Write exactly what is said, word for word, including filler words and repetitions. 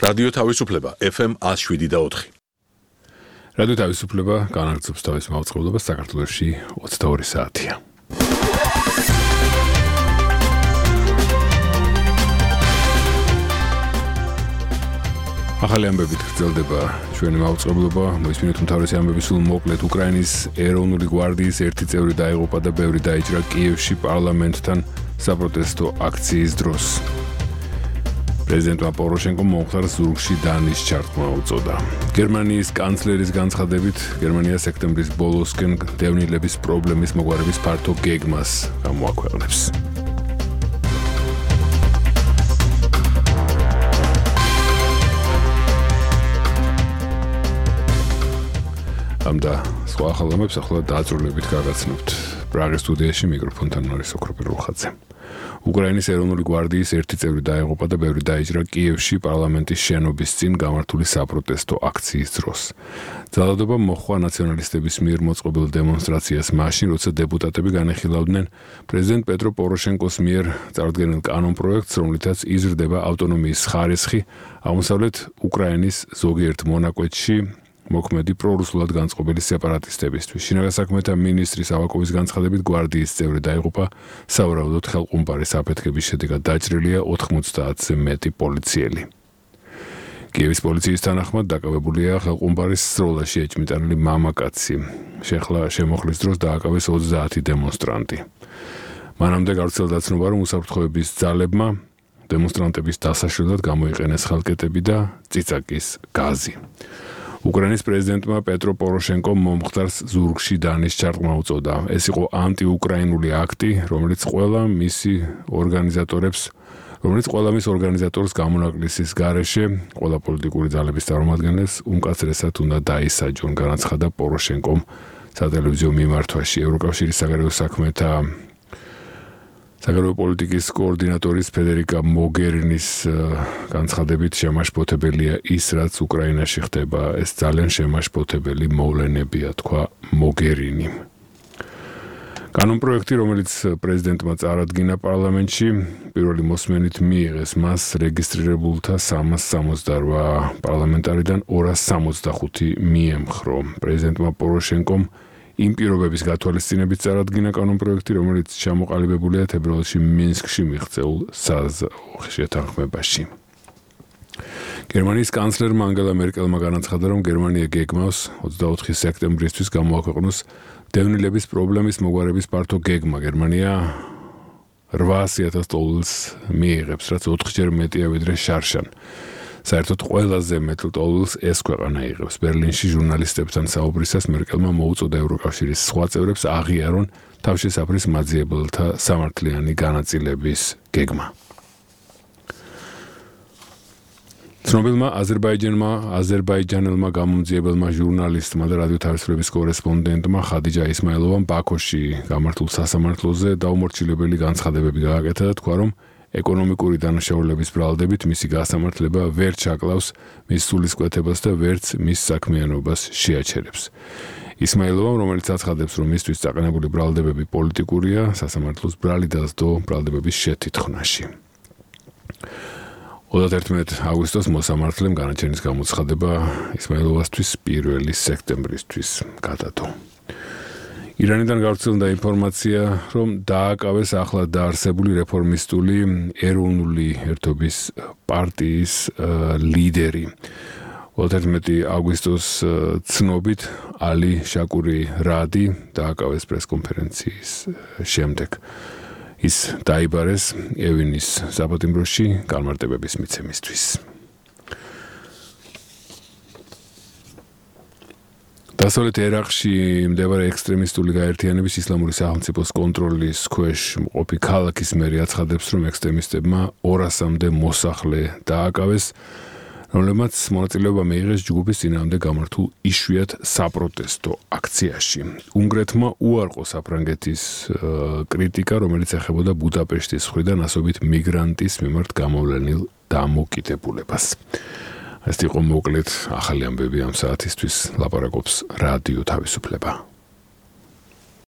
რადიო თავისუფლება F M one oh seven და four. რადიო თავისუფლება განაგრძობს თავის მაუწყებლობას საქართველოში ოცდაორი საათია. ახალი ამბებით გრძელდება ჩვენი მაუწყებლობა. მოისმინეთ უმთავრესი ამბები სულ მოკლედ. უკრაინის ეროვნული გვარდიის ერთი წევრი დაიღუპა და ბევრი დაიჭრა კიევში პარლამენტთან საპროტესტო აქციის დროს. პრეზიდენტმა პოროშენკომ მომხდარ ზურგში დანის ჩართმა უწოდა. გერმანიის კანცლერის განცხადებით, გერმანია სექტემბრის ბოლოსკენ დევნილების პრობლემის მოგვარების ფართო გეგმას გამოაქვეყნებს. ამდა სხვა ახალამებს ახლა დაძრულებით გაგაცნობთ. პრაღის სტუდიაში მიკროფონთან არის ოქროპირ რუხაძე. უკრაინის ეროვნული გვარდიის ერთი წევრი დაიღუპა და ბევრი დაიჭრა კიევში პარლამენტის შენობის წინ გამართული საპროტესტო აქციის დროს. ძალადობა მოჰყვა ნაციონალისტების მიერ მოწყობილ დემონსტრაციას მაშინ, როცა დეპუტატები განეხილავდნენ პრეზიდენტ პეტრო პოროშენკოს მიერ წარდგენილ კანონპროექტს, რომლითაც იზრდება ავტონომიის ხარისხი აღმოსავლეთ უკრაინის ზოგიერთ მონაკვეთში მოქმედი პრორუსულად განწყობილი სეპარატისტებისთვის. შინაგან საქმეთა მინისტრის ავაკოვის განცხადებით, გვარდიის წევრი დაიღუპა, სავარაუდოდ ხელყუმბარის აფეთქების შედეგად დაჭრილია ოთხმოცდაათზე მეტი პოლიციელი. კიევის პოლიციის თანახმად დაკავებულია ხელყუმბარის სროლაში ეჭმიტანილი მამაკაცი. შეხლა შემოხლის დროს დააკავეს ოცდაათი დემონსტრანტი. მანამდე გავრცელდა ცნობა, რომ უსაფრთხოების ძალებმა დემონსტრანტების დასაშლელად გამოიყენეს ხელკეტები და წიწაკის გაზი. უკრაინის პრეზიდენტმა პეტრო პოროშენკომ მომხდარს ზურგში დანის ჩართმა უწოდა. ეს იყო ანტიუკრაინული აქტი, რომელიც ყველა მისი ორგანიზატორებს, რომელიც ყველა მის ორგანიზატორს გამონაკლისის გარეშე, ყველა პოლიტიკური ძალების წარმომადგენლებს უმკაცრესად უნდა დაისაჯონ, განაცხადა პოროშენკომ სატელევიზიო მიმართვაში. ევროკავშირის საგარეო საქმეთა საგარეო პოლიტიკის კოორდინატორის ფედერიკა მოგერინის განცხადებით შემაშფოთებელია ის, რაც უკრაინაში ხდება. ეს ძალიან შემაშფოთებელი მოვლენებია, თქვა მოგერინი. კანონპროექტი, რომელიც პრეზიდენტმა წარადგინა პარლამენტში, პირველი მოსმენით მიიღეს მას რეგისტრირებულთა სამას სამოცდაორი პარლამენტარიდან ორას სამოცდახუთი მიემხრო. პრეზიდენტმა პოროშენკომ იმ პირობების გათვალისწინებით წარადგინა კანონპროექტი, რომელიც ჩამოყალიბებულია თებერვალში მინსკში მიღწეულ შეთანხმებაში. გერმანიის კანცლერმა ანგელა მერკელმა განაცხადა, რომ გერმანია გეგმავს ოცდაოთხი სექტემბრისთვის გამოაქვეყნოს დევნილების პრობლემის მოგვარების ფართო გეგმა. გერმანია რვაასი ათას ტოლს მიიღებს, რაც ოთხჯერ მეტია ვიდრე შარშან. საერთოდ ყველაზე მეტ ტოლს ეს ქვეყანა იღებს. ბერლინში ჟურნალისტებთან საუბრისას მერკელმა მოუწოდა ევროკავშირის სხვა წევრებს აღიარონ თავშესაფრის მაძიებელთა სამართლიანი განაწილების გეგმა. ცნობილმა აზერბაიჯანმა აზერბაიჯანელმა გამომძიებელმა ჟურნალისტმა და რადიო თავისუფლების კორესპონდენტმა ხადიჯა ისმაილოვამ ბაქოში გამართულ სასამართლოზე დაუმორჩილებელი განცხადებები გააკეთა და თქვა, რომ ეკონომიკური დანაშაულების ბრალდებით მისი გასამართლება ვერ ჩაკლავს მის სულისკვეთებას და ვერც მის საქმიანობას შეაჩერებს. ისმაილოვამ, რომელიც აცხადებს, რომ მისთვის წაყენებული ბრალდებები პოლიტიკურია, სასამართლოს ბრალი დასდო ბრალდებების შეთითქმაში. ოცდაერთმეტი აგვისტოს მოსამართლემ განაჩენის გამოცხადება ისმაილოვასთვის პირველი სექტემბრისთვის გადადო. ირანიდან გავრცელდა ინფორმაცია, რომ დააკავეს ახლა დაარსებული რეფორმისტული ეროვნული ერთობის პარტიის ლიდერი. ოცდაერთმეტი აგვისტოს ცნობით ალი შაკური რადი დააკავეს პრესკონფერენციის შემდეგ. ის დაიბარეს ევინის საპატიმროში განმარტებების მიცემისთვის. დასავლეთ ერაყში მდებარე ექსტრემისტული გაერთიანების ისლამური სახელმწიფოს კონტროლის ქვეშ მყოფი ქალაქის მერი აცხადებს, რომ ექსტრემისტებმა ორასამდე მოსახლე დააკავეს, რომლებმაც მონაწილეობა მიიღეს ჯგუფის წინააღმდეგ გამართულ იშვიათ საპროტესტო აქციაში. უნგრეთმა უარყო საფრანგეთის კრიტიკა, რომელიც ეხებოდა ბუდაპეშტის მხრიდან ასობით მიგრანტის მიმართ გამოვლენილ დამოკიდებულებას. ეს იყო მოკლედ ახალი ამბები ამ საათისთვის, ლაპარაკობს რადიო თავისუფლება.